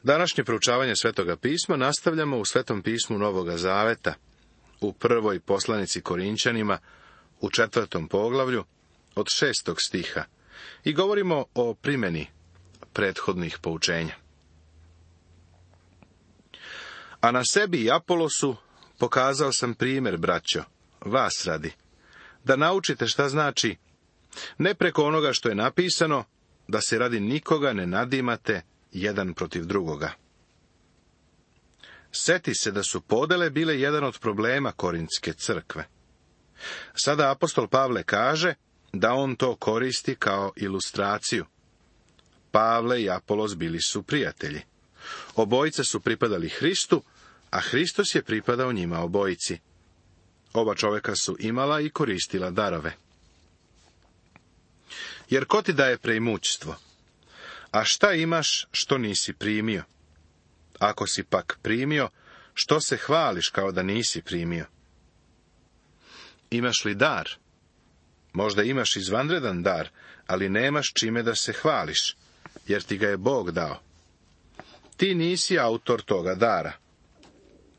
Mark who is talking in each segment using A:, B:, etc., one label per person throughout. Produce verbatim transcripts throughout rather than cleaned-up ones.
A: Današnje proučavanje Svetoga pisma nastavljamo u Svetom pismu Novoga Zaveta, u prvoj poslanici Korinćanima, u četvrtom poglavlju, od šestog stiha, i govorimo o primjeni prethodnih poučenja. A na sebi i Apolosu pokazao sam primjer, braćo, vas radi, da naučite šta znači, ne preko onoga što je napisano, da se radi nikoga ne nadimate jedan protiv drugoga. Seti se da su podele bile jedan od problema Korintske crkve. Sada apostol Pavle kaže da on to koristi kao ilustraciju. Pavle i Apolos bili su prijatelji. Obojica su pripadali Hristu, a Hristos je pripadao njima obojici. Oba čovjeka su imala i koristila darove. Jer ko ti daje preimućstvo? A šta imaš što nisi primio? Ako si pak primio, što se hvališ kao da nisi primio? Imaš li dar? Možda imaš izvanredan dar, ali nemaš čime da se hvališ, jer ti ga je Bog dao. Ti nisi autor toga dara.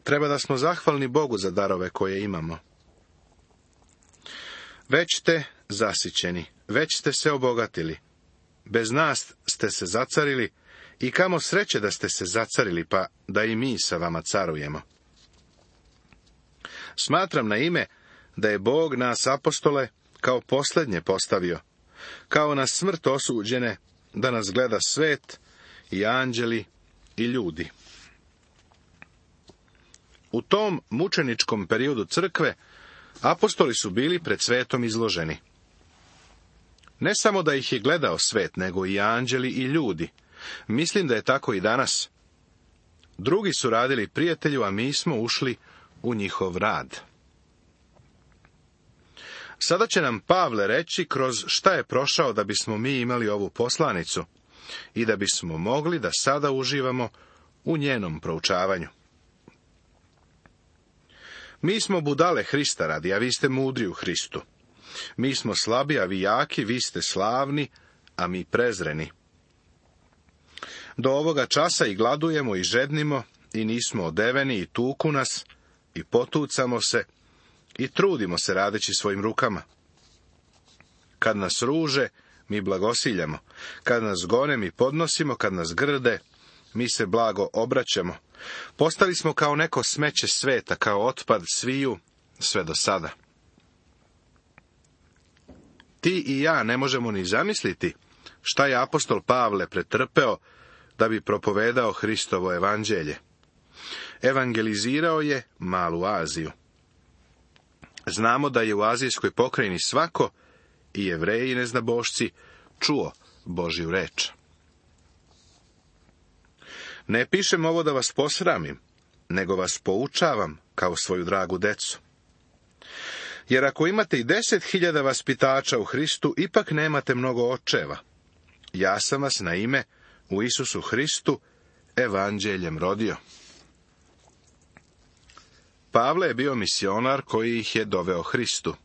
A: Treba da smo zahvalni Bogu za darove koje imamo. Već ste zasićeni, već ste se obogatili. Bez nas ste se zacarili i kamo sreće da ste se zacarili, pa da i mi sa vama carujemo. Smatram na ime da je Bog nas apostole kao posljednje postavio, kao na smrt osuđene, da nas gleda svet i anđeli i ljudi. U tom mučeničkom periodu crkve apostoli su bili pred svetom izloženi. Ne samo da ih je gledao svet, nego i anđeli i ljudi. Mislim da je tako i danas. Drugi su radili prijatelju, a mi smo ušli u njihov rad. Sada će nam Pavle reći kroz šta je prošao da bismo mi imali ovu poslanicu i da bismo mogli da sada uživamo u njenom proučavanju. Mi smo budale Hrista radi, a vi ste mudri u Hristu. Mi smo slabi, a vi jaki, vi ste slavni, a mi prezreni. Do ovoga časa i gladujemo i žednimo, i nismo odeveni, i tuku nas, i potucamo se, i trudimo se radeći svojim rukama. Kad nas ruže, mi blagosiljamo. Kad nas gone, mi podnosimo. Kad nas grde, mi se blago obraćamo. Postali smo kao neko smeće sveta, kao otpad sviju, sve do sada. Ti i ja ne možemo ni zamisliti šta je apostol Pavle pretrpeo da bi propovedao Hristovo evanđelje. Evangelizirao je malu Aziju. Znamo da je u azijskoj pokrajini svako, i Jevreji i neznabošci, čuo Božju reč. Ne pišem ovo da vas posramim, nego vas poučavam kao svoju dragu decu. Jer ako imate i deset hiljada vaspitača u Hristu, ipak nemate mnogo očeva. Ja sam vas na ime u Isusu Hristu evanđeljem rodio. Pavle je bio misionar koji ih je doveo Hristu.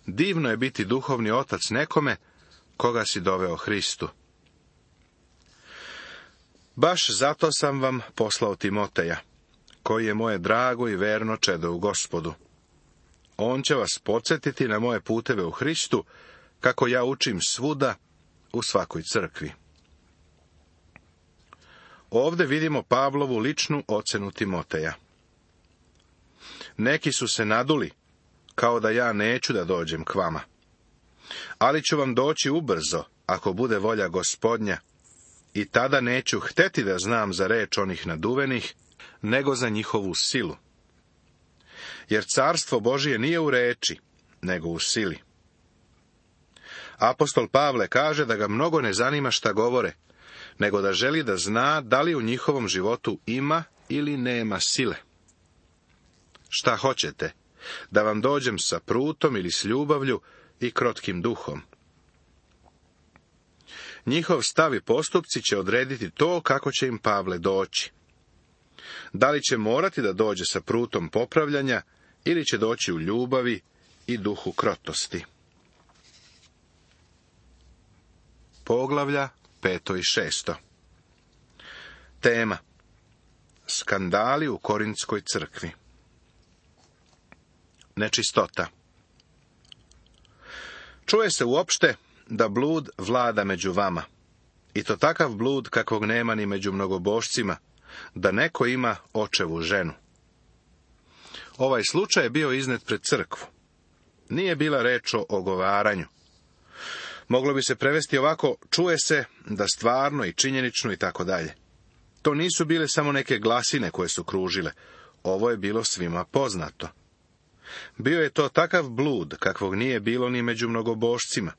A: Divno je biti duhovni otac nekome koga si doveo Hristu. Baš zato sam vam poslao Timoteja, koji je moje drago i verno čedo u Gospodu. On će vas podsjetiti na moje puteve u Hristu, kako ja učim svuda u svakoj crkvi. Ovdje vidimo Pavlovu ličnu ocenu Timoteja. Neki su se naduli, kao da ja neću da dođem k vama. Ali ću vam doći ubrzo, ako bude volja Gospodnja, i tada neću hteti da znam za reč onih naduvenih, nego za njihovu silu. Jer carstvo Božije nije u reči, nego u sili. Apostol Pavle kaže da ga mnogo ne zanima šta govore, nego da želi da zna da li u njihovom životu ima ili nema sile. Šta hoćete? Da vam dođem sa prutom ili s ljubavlju i krotkim duhom? Njihov stav i postupci će odrediti to kako će im Pavle doći. Da li će morati da dođe sa prutom popravljanja ili će doći u ljubavi i duhu krotosti. Poglavlja peto i šesto. Tema: skandali u Korintskoj crkvi. Nečistota. Čuje se uopšte da blud vlada među vama, i to takav blud kakvog nema ni među mnogobošcima, da neko ima očevu ženu. Ovaj slučaj je bio iznet pred crkvu. Nije bila reč o ogovaranju. Moglo bi se prevesti ovako: čuje se da stvarno i činjenično i tako dalje. To nisu bile samo neke glasine koje su kružile. Ovo je bilo svima poznato. Bio je to takav blud kakvog nije bilo ni među mnogobošcima.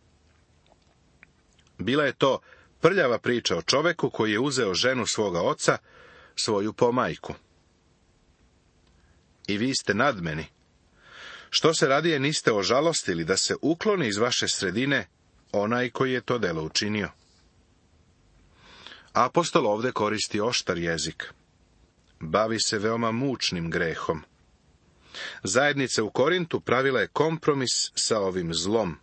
A: Bila je to prljava priča o čoveku koji je uzeo ženu svoga oca, svoju pomajku. I vi ste nad meni. Što se radije niste ožalostili da se ukloni iz vaše sredine onaj koji je to delo učinio? Apostol ovdje koristi oštar jezik. Bavi se veoma mučnim grehom. Zajednica u Korintu pravila je kompromis sa ovim zlom.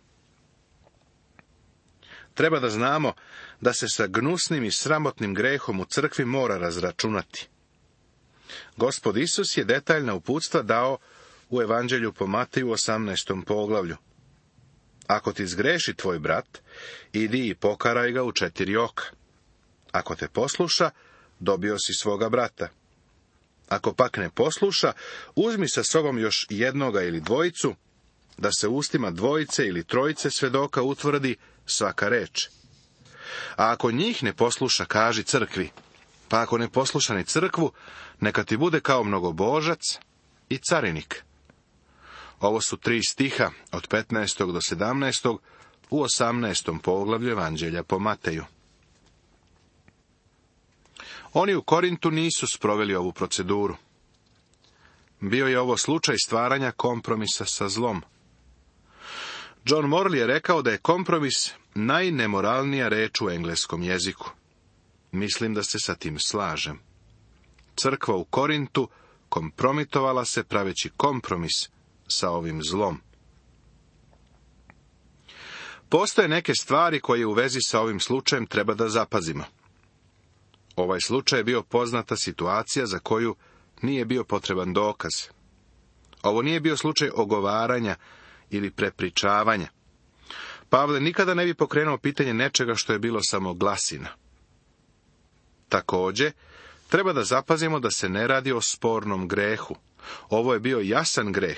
A: Treba da znamo da se sa gnusnim i sramotnim grehom u crkvi mora razračunati. Gospod Isus je detaljna uputstva dao u Evanđelju po Mateju osamnaestom poglavlju. Ako ti zgreši tvoj brat, idi i pokaraj ga u četiri oka. Ako te posluša, dobio si svoga brata. Ako pak ne posluša, uzmi sa sobom još jednoga ili dvojicu, da se ustima dvojice ili trojice svedoka utvrdi svaka reč. A ako njih ne posluša, kaži crkvi, pa ako ne posluša ni crkvu, neka ti bude kao mnogobožac i carinik. Ovo su tri stiha od petnaestog do sedamnaestog u osamnaestom poglavlju Evanđelja po Mateju. Oni u Korintu nisu sproveli ovu proceduru. Bio je ovo slučaj stvaranja kompromisa sa zlom. John Morley je rekao da je kompromis najnemoralnija reč u engleskom jeziku. Mislim da se sa tim slažem. Crkva u Korintu kompromitovala se praveći kompromis sa ovim zlom. Postoje neke stvari koje u vezi sa ovim slučajem treba da zapazimo. Ovaj slučaj je bio poznata situacija za koju nije bio potreban dokaz. Ovo nije bio slučaj ogovaranja ili prepričavanja. Pavle nikada ne bi pokrenuo pitanje nečega što je bilo samo glasina. Također, treba da zapazimo da se ne radi o spornom grehu. Ovo je bio jasan greh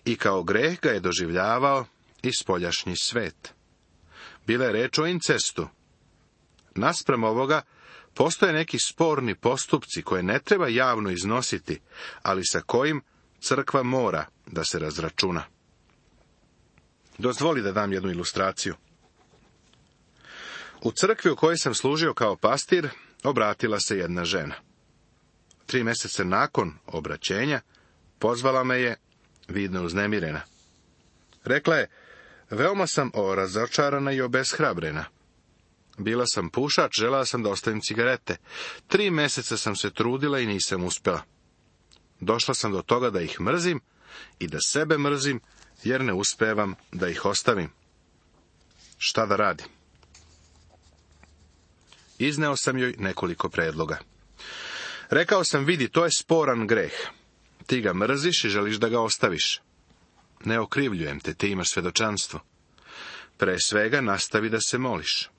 A: i kao greh ga je doživljavao i spoljašnji svet. Bila je reč o incestu. Naspram ovoga, postoje neki sporni postupci koje ne treba javno iznositi, ali sa kojim crkva mora da se razračuna. Dozvoli da dam jednu ilustraciju. U crkvi u kojoj sam služio kao pastir, obratila se jedna žena. Tri mjeseca nakon obraćenja, pozvala me je, vidno uznemirena. Rekla je: veoma sam razočarana i obeshrabrena. Bila sam pušač, želela sam da ostavim cigarete. Tri mjeseca sam se trudila i nisam uspjela. Došla sam do toga da ih mrzim i da sebe mrzim, jer ne uspevam da ih ostavim. Šta da radim? Izneo sam joj nekoliko predloga. Rekao sam: vidi, to je sporan greh. Ti ga mrziš i želiš da ga ostaviš. Ne okrivljujem te, ti imaš svjedočanstvo. Pre svega nastavi da se moliš.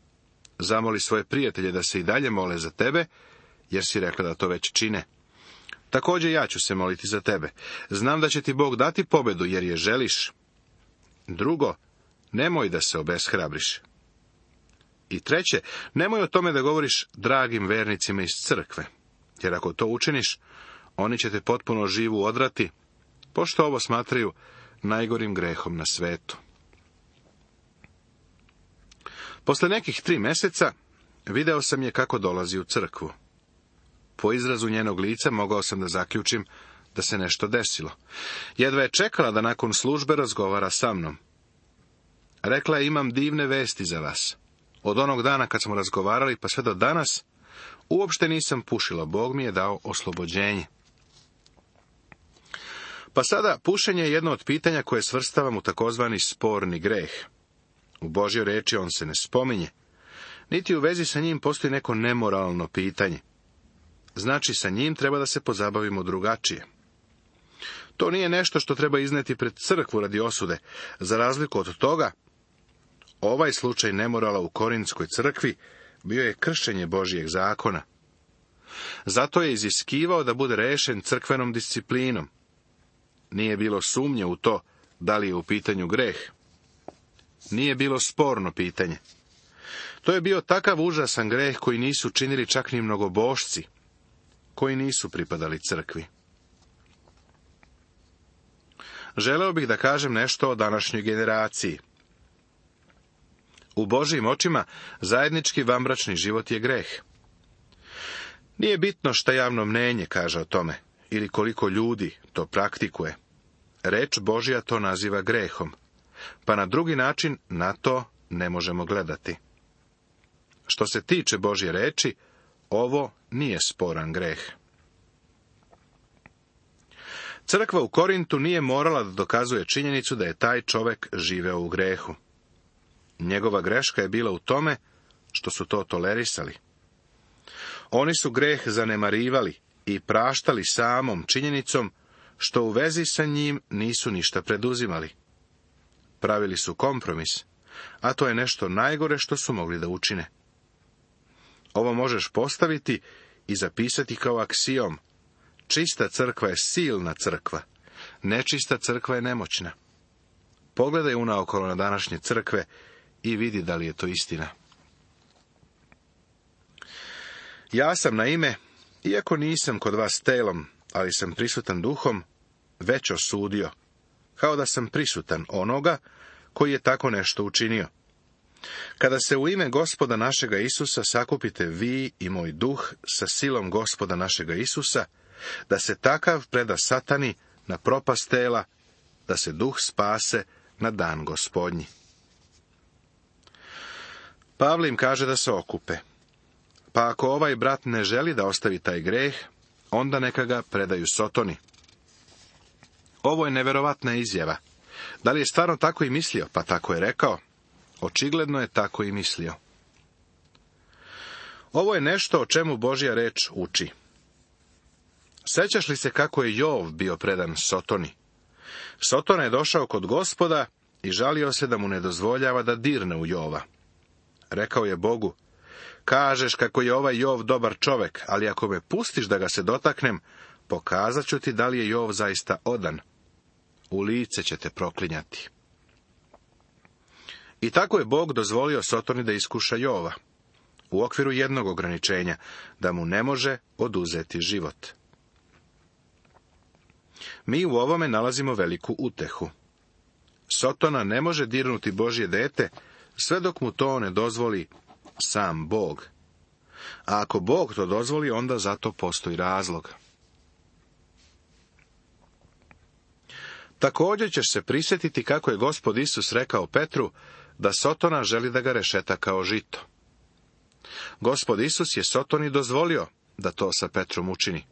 A: Zamoli svoje prijatelje da se i dalje mole za tebe, jer si rekla da to već čine. Također ja ću se moliti za tebe. Znam da će ti Bog dati pobedu, jer je želiš. Drugo, nemoj da se obeshrabriš. I treće, nemoj o tome da govoriš dragim vernicima iz crkve, jer ako to učiniš, oni će te potpuno živu odrati, pošto ovo smatraju najgorim grehom na svetu. Posle nekih tri mjeseca video sam je kako dolazi u crkvu. Po izrazu njenog lica mogao sam da zaključim da se nešto desilo. Jedva je čekala da nakon službe razgovara sa mnom. Rekla je: imam divne vesti za vas. Od onog dana kad smo razgovarali pa sve do danas, uopšte nisam pušila. Bog mi je dao oslobođenje. Pa sada, pušenje je jedno od pitanja koje svrstavam u takozvani sporni greh. U Božjoj reči on se ne spominje, niti u vezi sa njim postoji neko nemoralno pitanje. Znači, sa njim treba da se pozabavimo drugačije. To nije nešto što treba izneti pred crkvu radi osude. Za razliku od toga, ovaj slučaj nemorala u Korintskoj crkvi bio je kršenje Božijeg zakona. Zato je iziskivao da bude rešen crkvenom disciplinom. Nije bilo sumnje u to da li je u pitanju greh. Nije bilo sporno pitanje. To je bio takav užasan greh koji nisu činili čak ni mnogobošci, koji nisu pripadali crkvi. Želeo bih da kažem nešto o današnjoj generaciji. U Božijim očima zajednički vanbračni život je greh. Nije bitno šta javno mnenje kaže o tome, ili koliko ljudi to praktikuje. Reč Božja to naziva grehom, pa na drugi način na to ne možemo gledati. Što se tiče Božje reči, ovo nije sporan greh. Crkva u Korintu nije morala da dokazuje činjenicu da je taj čovek živeo u grehu. Njegova greška je bila u tome što su to tolerisali. Oni su greh zanemarivali i praštali samom činjenicom što u vezi sa njim nisu ništa preduzimali. Pravili su kompromis, a to je nešto najgore što su mogli da učine. Ovo možeš postaviti i zapisati kao aksiom. Čista crkva je silna crkva, nečista crkva je nemoćna. Pogledaj unaokolo na današnje crkve i vidi da li je to istina. Ja sam na ime, iako nisam kod vas telom, ali sam prisutan duhom, već osudio, kao da sam prisutan onoga koji je tako nešto učinio. Kada se u ime Gospoda našega Isusa sakupite vi i moj duh sa silom Gospoda našega Isusa, da se takav preda satani na propast tela, da se duh spase na dan Gospodnji. Pavle im kaže da se okupe. Pa ako ovaj brat ne želi da ostavi taj greh, onda neka ga predaju Sotoni. Ovo je neverovatna izjava. Da li je stvarno tako i mislio? Pa tako je rekao. Očigledno je tako i mislio. Ovo je nešto o čemu Božja reč uči. Sećaš li se kako je Jov bio predan Sotoni? Sotona je došao kod Gospoda i žalio se da mu ne dozvoljava da dirne u Jova. Rekao je Bogu, kažeš kako je ovaj Jov dobar čovek, ali ako me pustiš da ga se dotaknem, pokazat ću ti da li je Jov zaista odan. U lice će te proklinjati. I tako je Bog dozvolio Sotoni da iskuša Jova, u okviru jednog ograničenja, da mu ne može oduzeti život. Mi u ovome nalazimo veliku utehu. Sotona ne može dirnuti Božje dete, sve dok mu to ne dozvoli sam Bog. A ako Bog to dozvoli, onda za to postoji razlog. Također ćeš se prisjetiti kako je Gospod Isus rekao Petru da Sotona želi da ga rešeta kao žito. Gospod Isus je Sotoni dozvolio da to sa Petrom učini.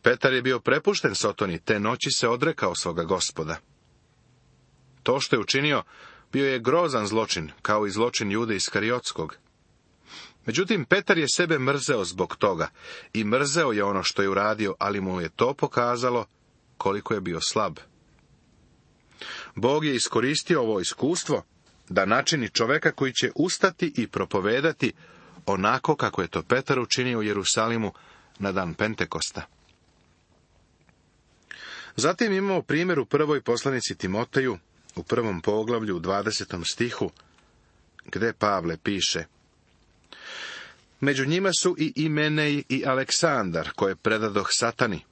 A: Petar je bio prepušten Sotoni, te noći se odrekao svoga Gospoda. To što je učinio bio je grozan zločin, kao i zločin Jude Iskariotskog. Međutim, Petar je sebe mrzeo zbog toga i mrzeo je ono što je uradio, ali mu je to pokazalo koliko je bio slab. Bog je iskoristio ovo iskustvo da načini čoveka koji će ustati i propovedati onako kako je to Petar učinio u Jerusalimu na dan Pentekosta. Zatim imamo primjer u prvoj poslanici Timoteju, u prvom poglavlju, u dvadesetom stihu, gde Pavle piše: među njima su i Imenej i Aleksandar, koje predadoh Satani,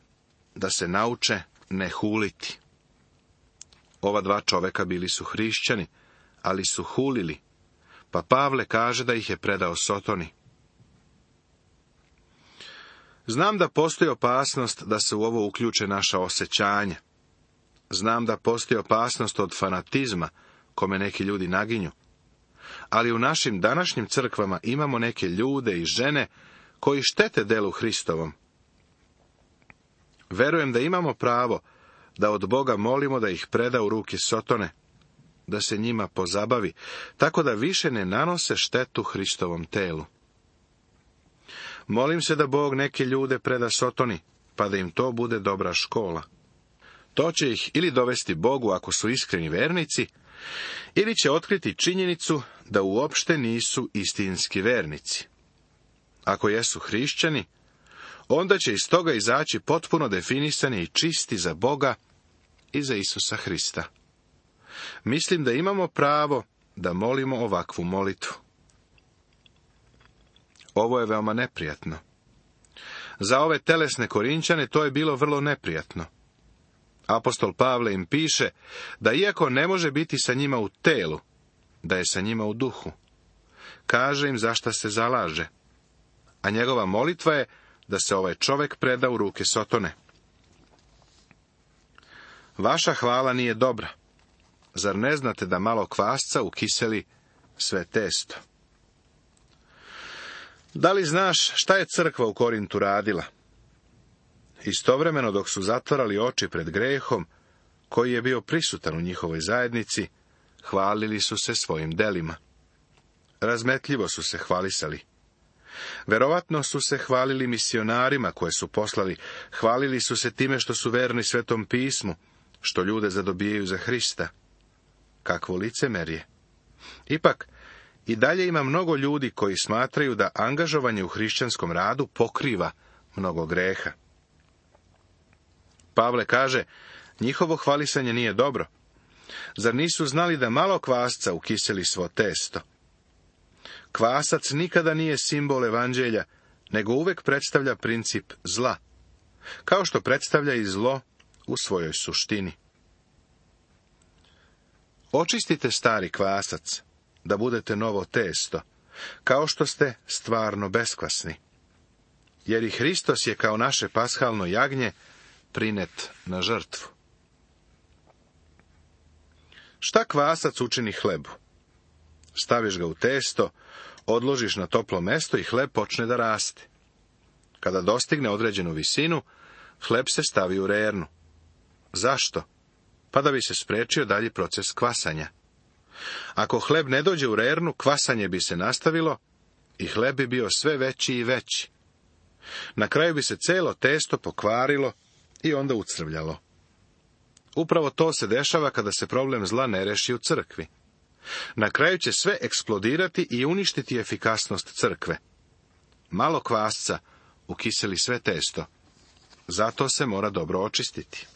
A: da se nauče ne huliti. Ova dva čoveka bili su hrišćani, ali su hulili, pa Pavle kaže da ih je predao Sotoni. Znam da postoji opasnost da se u ovo uključe naša osjećanja. Znam da postoji opasnost od fanatizma, kome neki ljudi naginju. Ali u našim današnjim crkvama imamo neke ljude i žene koji štete delu Hristovom. Verujem da imamo pravo da od Boga molimo da ih preda u ruke Sotone, da se njima pozabavi, tako da više ne nanose štetu Hristovom telu. Molim se da Bog neke ljude preda Sotoni, pa da im to bude dobra škola. To će ih ili dovesti Bogu ako su iskreni vernici, ili će otkriti činjenicu da uopšte nisu istinski vernici. Ako jesu hrišćani, onda će iz toga izaći potpuno definisani i čisti za Boga i za Isusa Hrista. Mislim da imamo pravo da molimo ovakvu molitvu. Ovo je veoma neprijatno. Za ove telesne Korinćane to je bilo vrlo neprijatno. Apostol Pavle im piše da iako ne može biti sa njima u telu, da je sa njima u duhu. Kaže im zašta se zalaže. A njegova molitva je da se ovaj čovjek preda u ruke Sotone. Vaša hvala nije dobra. Zar ne znate da malo kvasca ukiseli sve testo? Da li znaš šta je crkva u Korintu radila? Istovremeno dok su zatvarali oči pred grehom, koji je bio prisutan u njihovoj zajednici, hvalili su se svojim delima. Razmetljivo su se hvalisali. Verovatno su se hvalili misionarima koje su poslali, hvalili su se time što su verni Svetom pismu, što ljude zadobijaju za Hrista. Kakvo licemerje! Ipak, i dalje ima mnogo ljudi koji smatraju da angažovanje u hrišćanskom radu pokriva mnogo greha. Pavle kaže, njihovo hvalisanje nije dobro. Zar nisu znali da malo kvasca ukiseli svo testo? Kvasac nikada nije simbol evanđelja, nego uvek predstavlja princip zla, kao što predstavlja i zlo u svojoj suštini. Očistite stari kvasac, da budete novo testo, kao što ste stvarno beskvasni. Jer i Hristos je kao naše pashalno jagnje prinet na žrtvu. Šta kvasac učini hlebu? Staviš ga u testo, odložiš na toplo mesto i hleb počne da raste. Kada dostigne određenu visinu, hleb se stavi u rernu. Zašto? Pa da bi se sprečio dalji proces kvasanja. Ako hleb ne dođe u rernu, kvasanje bi se nastavilo i hleb bi bio sve veći i veći. Na kraju bi se celo testo pokvarilo i onda ucrvljalo. Upravo to se dešava kada se problem zla ne reši u crkvi. Na kraju će sve eksplodirati i uništiti efikasnost crkve. Malo kvasca ukiseli sve testo. Zato se mora dobro očistiti.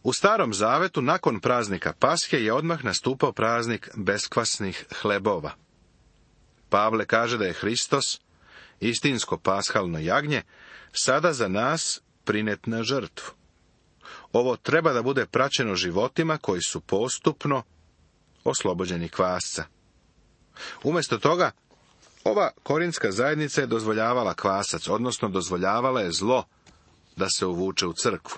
A: U Starom Zavetu nakon praznika Pashe je odmah nastupao praznik beskvasnih hlebova. Pavle kaže da je Hristos, istinsko pashalno jagnje, sada za nas prinet na žrtvu. Ovo treba da bude praćeno životima koji su postupno oslobođeni kvasca. Umjesto toga, ova korinska zajednica je dozvoljavala kvasac, odnosno dozvoljavala je zlo da se uvuče u crkvu.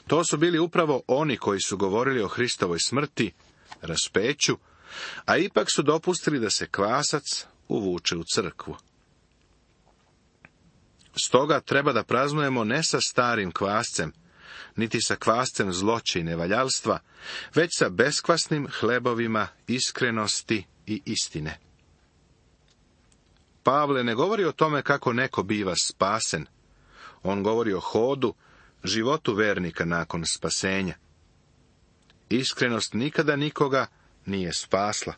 A: To su bili upravo oni koji su govorili o Hristovoj smrti, raspeću, a ipak su dopustili da se kvasac uvuče u crkvu. Stoga treba da praznujemo ne sa starim kvascem, niti sa kvascem zloće i nevaljalstva, već sa beskvasnim hlebovima iskrenosti i istine. Pavle ne govori o tome kako neko biva spasen. On govori o hodu, životu vernika nakon spasenja. Iskrenost nikada nikoga nije spasla.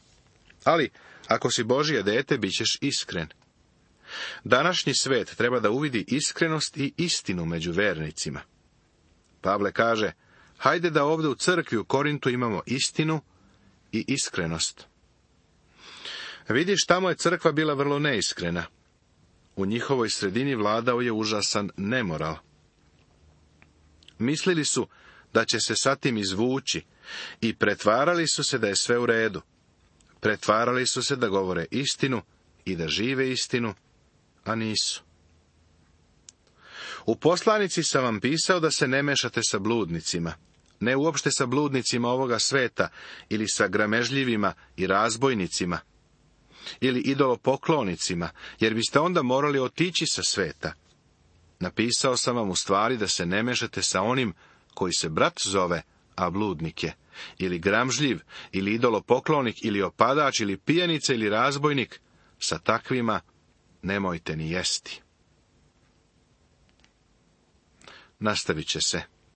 A: Ali, ako si Božje dete, bit ćeš iskren. Današnji svet treba da uvidi iskrenost i istinu među vernicima. Pavle kaže, hajde da ovdje u crkvi u Korintu imamo istinu i iskrenost. Vidiš, tamo je crkva bila vrlo neiskrena. U njihovoj sredini vladao je užasan nemoral. Mislili su da će se sa tim izvući i pretvarali su se da je sve u redu. Pretvarali su se da govore istinu i da žive istinu, a nisu. U poslanici sam vam pisao da se ne mešate sa bludnicima, ne uopšte sa bludnicima ovoga sveta ili sa gramežljivima i razbojnicima ili idolopoklonicima, jer biste onda morali otići sa sveta. Napisao sam vam u stvari da se ne mešate sa onim koji se brat zove, a bludnik je, ili gramžljiv, ili idolopoklonik, ili opadač, ili pijanica, ili razbojnik, sa takvima nemojte ni jesti. Nastavit će se